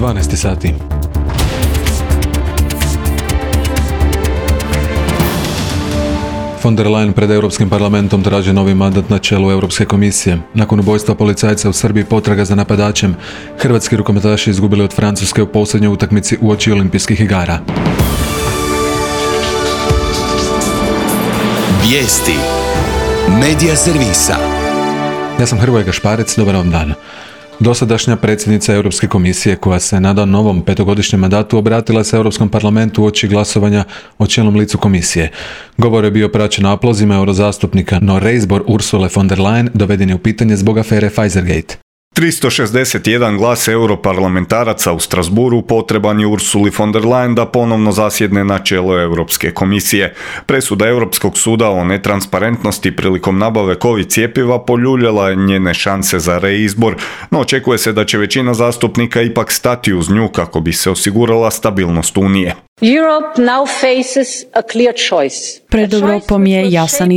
12 sati. Von der Leyen pred Europskim parlamentom traži novi mandat na čelu Europske komisije. Nakon ubojstva policajca u Srbiji potraga za napadačem, hrvatski rukometaši izgubili od Francuske u posljednjoj utakmici uoči olimpijskih igara. Vijesti Medija servisa. Ja sam Hrvoje Gašparec, dobar vam dan. Dosadašnja predsjednica Europske komisije, koja se nada novom petogodišnjem mandatu, obratila se Europskom parlamentu uoči glasovanja o čelnom licu komisije. Govor je bio praćen aplauzima eurozastupnika, no reizbor Ursule von der Leyen doveden je u pitanje zbog afere Pfizergate. 361 glas europarlamentaraca u Strasburu potreban je Ursuli von der Leyen da ponovno zasjedne na čelo Europske komisije. Presuda Europskog suda o netransparentnosti prilikom nabave COVID cjepiva poljuljala je njene šanse za reizbor, no očekuje se da će većina zastupnika ipak stati uz nju kako bi se osigurala stabilnost Unije. Pred Europom je jasan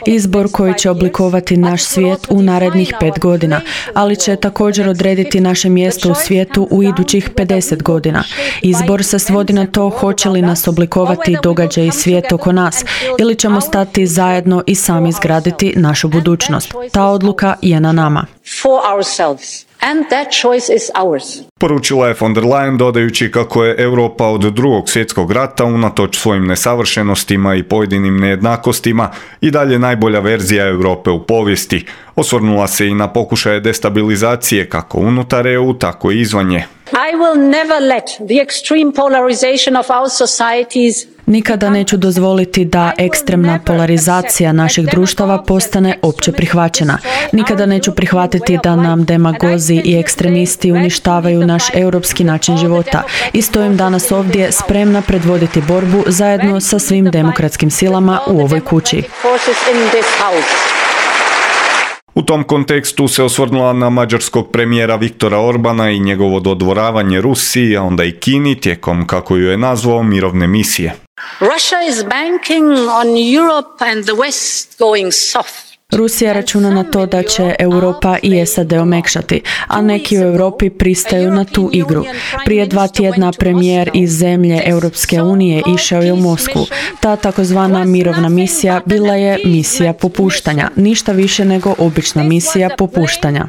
izbor koji će oblikovati naš svijet u narednih 5 godina, ali će također odrediti naše mjesto u svijetu u idućih 50 godina. Izbor se svodi na to hoće li nas oblikovati događaj i svijet oko nas, ili ćemo stati zajedno i sami izgraditi našu budućnost. Ta odluka je na nama. And that choice is ours. Poručila je von der Leyen dodajući kako je Europa od Drugog svjetskog rata unatoč svojim nesavršenostima i pojedinim nejednakostima i dalje najbolja verzija Europe u povijesti. Osvrnula se i na pokušaje destabilizacije kako unutar EU, tako i izvan nje. I will never let the extreme polarization of our societies. Nikada neću dozvoliti da ekstremna polarizacija naših društava postane opće prihvaćena. Nikada neću prihvatiti da nam demagozi i ekstremisti uništavaju naš europski način života. I stojim danas ovdje spremna predvoditi borbu zajedno sa svim demokratskim silama u ovoj kući. U tom kontekstu se osvrnula na mađarskog premijera Viktora Orbana i njegovo dodvoravanje Rusiji, a onda i Kini tijekom, kako ju je nazvao, mirovne misije. Russia is banking on Europe and the West going soft. Rusija računa na to da će Europa i SAD omekšati, a neki u Europi pristaju na tu igru. Prije 2 tjedna premijer iz zemlje Europske unije išao je u Moskvu. Ta takozvana mirovna misija bila je misija popuštanja, ništa više nego obična misija popuštanja.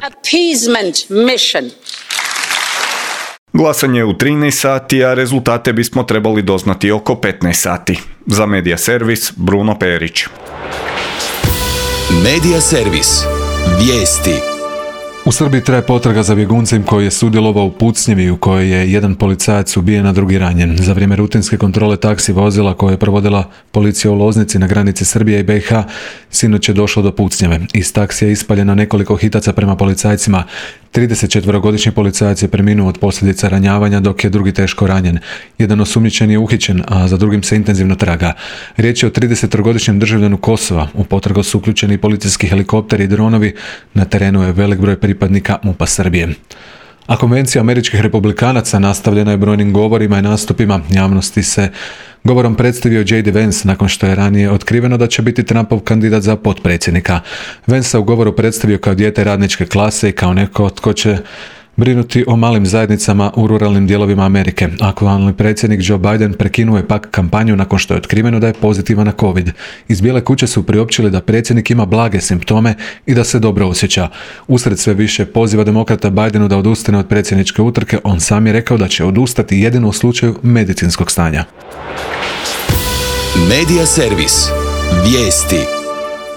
Glasanje je u 13 sati, a rezultate bismo trebali doznati oko 15 sati. Za Medija servis, Bruno Perić. Medija servis. Vijesti. U Srbiji traje potraga za bjeguncem koji je sudjelovao u pucnjevi u kojoj je jedan policajac ubijen, a drugi ranjen. Za vrijeme rutinske kontrole taksi vozila koje je provodila policija u Loznici na granici Srbije i BiH, sinoć je došlo do pucnjeve. Iz taksija je ispaljeno nekoliko hitaca prema policajcima. 34-godišnji policajac je preminuo od posljedica ranjavanja, dok je drugi teško ranjen. Jedan osumnjičeni je uhićen, a za drugim se intenzivno traga. Riječ je o 30-godišnjem državljanu Kosova. U potragu su uključeni policijski helikopteri i dronovi. Na terenu je velik broj pripadnika MUP-a Srbije. A konvencija američkih republikanaca nastavljena je brojnim govorima i nastupima. Javnosti se govorom predstavio J.D. Vance nakon što je ranije otkriveno da će biti Trumpov kandidat za potpredsjednika. Vance se u govoru predstavio kao dijete radničke klase i kao neko tko će brinuti o malim zajednicama u ruralnim dijelovima Amerike. Aktualni predsjednik Joe Biden prekinuo je pak kampanju nakon što je otkriveno da je pozitivan na COVID. Iz Bijele kuće su priopćili da predsjednik ima blage simptome i da se dobro osjeća. Usred sve više poziva demokrata Bidenu da odustane od predsjedničke utrke, on sam je rekao da će odustati jedino u slučaju medicinskog stanja. Medija servis. Vijesti.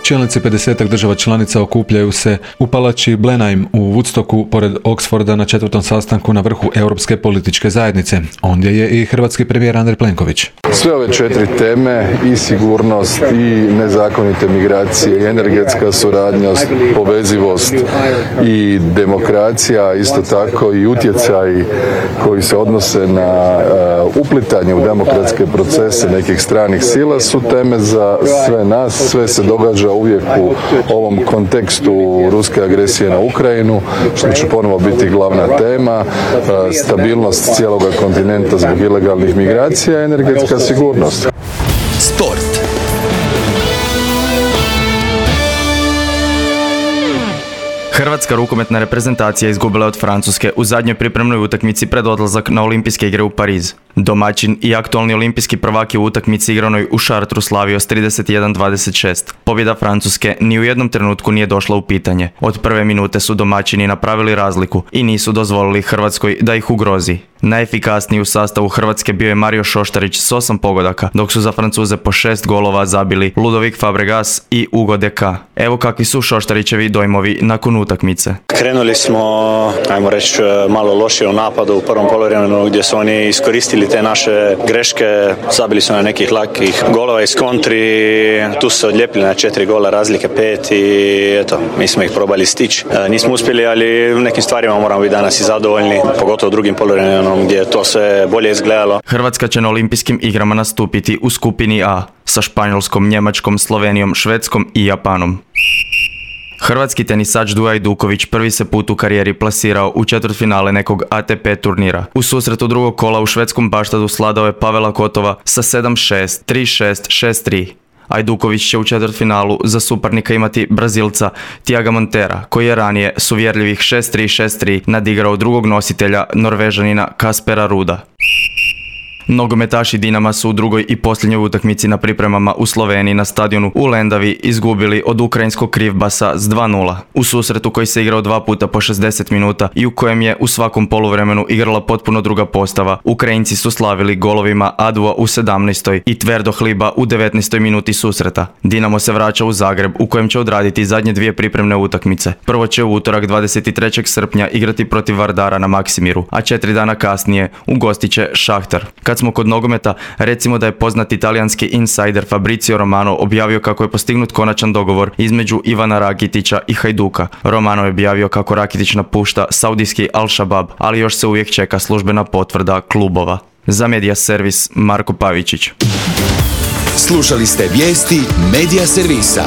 Čelnici 50 država članica okupljaju se u palači Blenheim u Woodstocku pored Oxforda na 4. sastanku na vrhu Europske političke zajednice. Ondje je i hrvatski premijer Andrej Plenković. Sve ove 4 teme, i sigurnost, i nezakonite migracije, i energetska suradnja, povezivost i demokracija, isto tako i utjecaj koji se odnose na uplitanje u demokratske procese nekih stranih sila su teme za sve nas. Sve se događa uvijek u ovom kontekstu ruske agresije na Ukrajinu, što će ponovo biti glavna tema, stabilnost cijeloga kontinenta zbog ilegalnih migracija i energetska sigurnost. Sport. Hrvatska rukometna reprezentacija izgubila je od Francuske u zadnjoj pripremnoj utakmici pred odlazak na olimpijske igre u Pariz. Domaćin i aktualni olimpijski prvak je u utakmici igranoj u Šartru slavio s 31-26. Pobjeda Francuske ni u jednom trenutku nije došla u pitanje. Od prve minute su domaćini napravili razliku i nisu dozvolili Hrvatskoj da ih ugrozi. Najefikasniji u sastavu Hrvatske bio je Mario Šoštarić s 8 pogodaka, dok su za Francuze po 6 golova zabili Ludovic Fabregas i Hugo Deka. Evo kakvi su Šoštarićevi dojmovi nakon utakmice. Krenuli smo, ajmo reći, malo lošije u napadu u prvom poluvremenu gdje su oni iskoristili te naše greške, zabili su na nekih lakih golova iz kontri, tu su se odljepili na 4 gola razlike 5 i eto, mi smo ih probali stići. Nismo uspjeli, ali u nekim stvarima moramo biti danas i zadovoljni, pogotovo u drugim poluvremenom gdje je to sve bolje izgledalo. Hrvatska će na olimpijskim igrama nastupiti u skupini A sa Španjolskom, Njemačkom, Slovenijom, Švedskom i Japanom. Hrvatski tenisač Duja Ajduković prvi se put u karijeri plasirao u četvrtfinale nekog ATP turnira. U susretu drugog kola u švedskom Baštadu sladao je Pavela Kotova sa 7-6, 3-6, 6-3. Ajduković će u četvrtfinalu za suparnika imati Brazilca Tiaga Montera, koji je ranije s uvjerljivih 6-3, 6-3 nadigrao drugog nositelja Norvežanina Kaspera Ruda. Nogometaši Dinama su u drugoj i posljednjoj utakmici na pripremama u Sloveniji na stadionu u Lendavi izgubili od ukrajinskog Krivbasa s 2-0. U susretu koji se igrao 2 puta po 60 minuta i u kojem je u svakom poluvremenu igrala potpuno druga postava, Ukrajinci su slavili golovima Adua u 17. i Tverdo Hliba u 19. minuti susreta. Dinamo se vraća u Zagreb u kojem će odraditi zadnje 2 pripremne utakmice. Prvo će u utorak 23. srpnja igrati protiv Vardara na Maksimiru, a 4 dana kasnije ugostit će Šahtar. Kad smo kod nogometa, recimo da je poznati talijanski insider Fabrizio Romano objavio kako je postignut konačan dogovor između Ivana Rakitića i Hajduka. Romano je objavio kako Rakitić napušta saudijski Al-Shabaab, ali još se uvijek čeka službena potvrda klubova. Za Media Servis, Marko Pavičić. Slušali ste vijesti Media Servisa.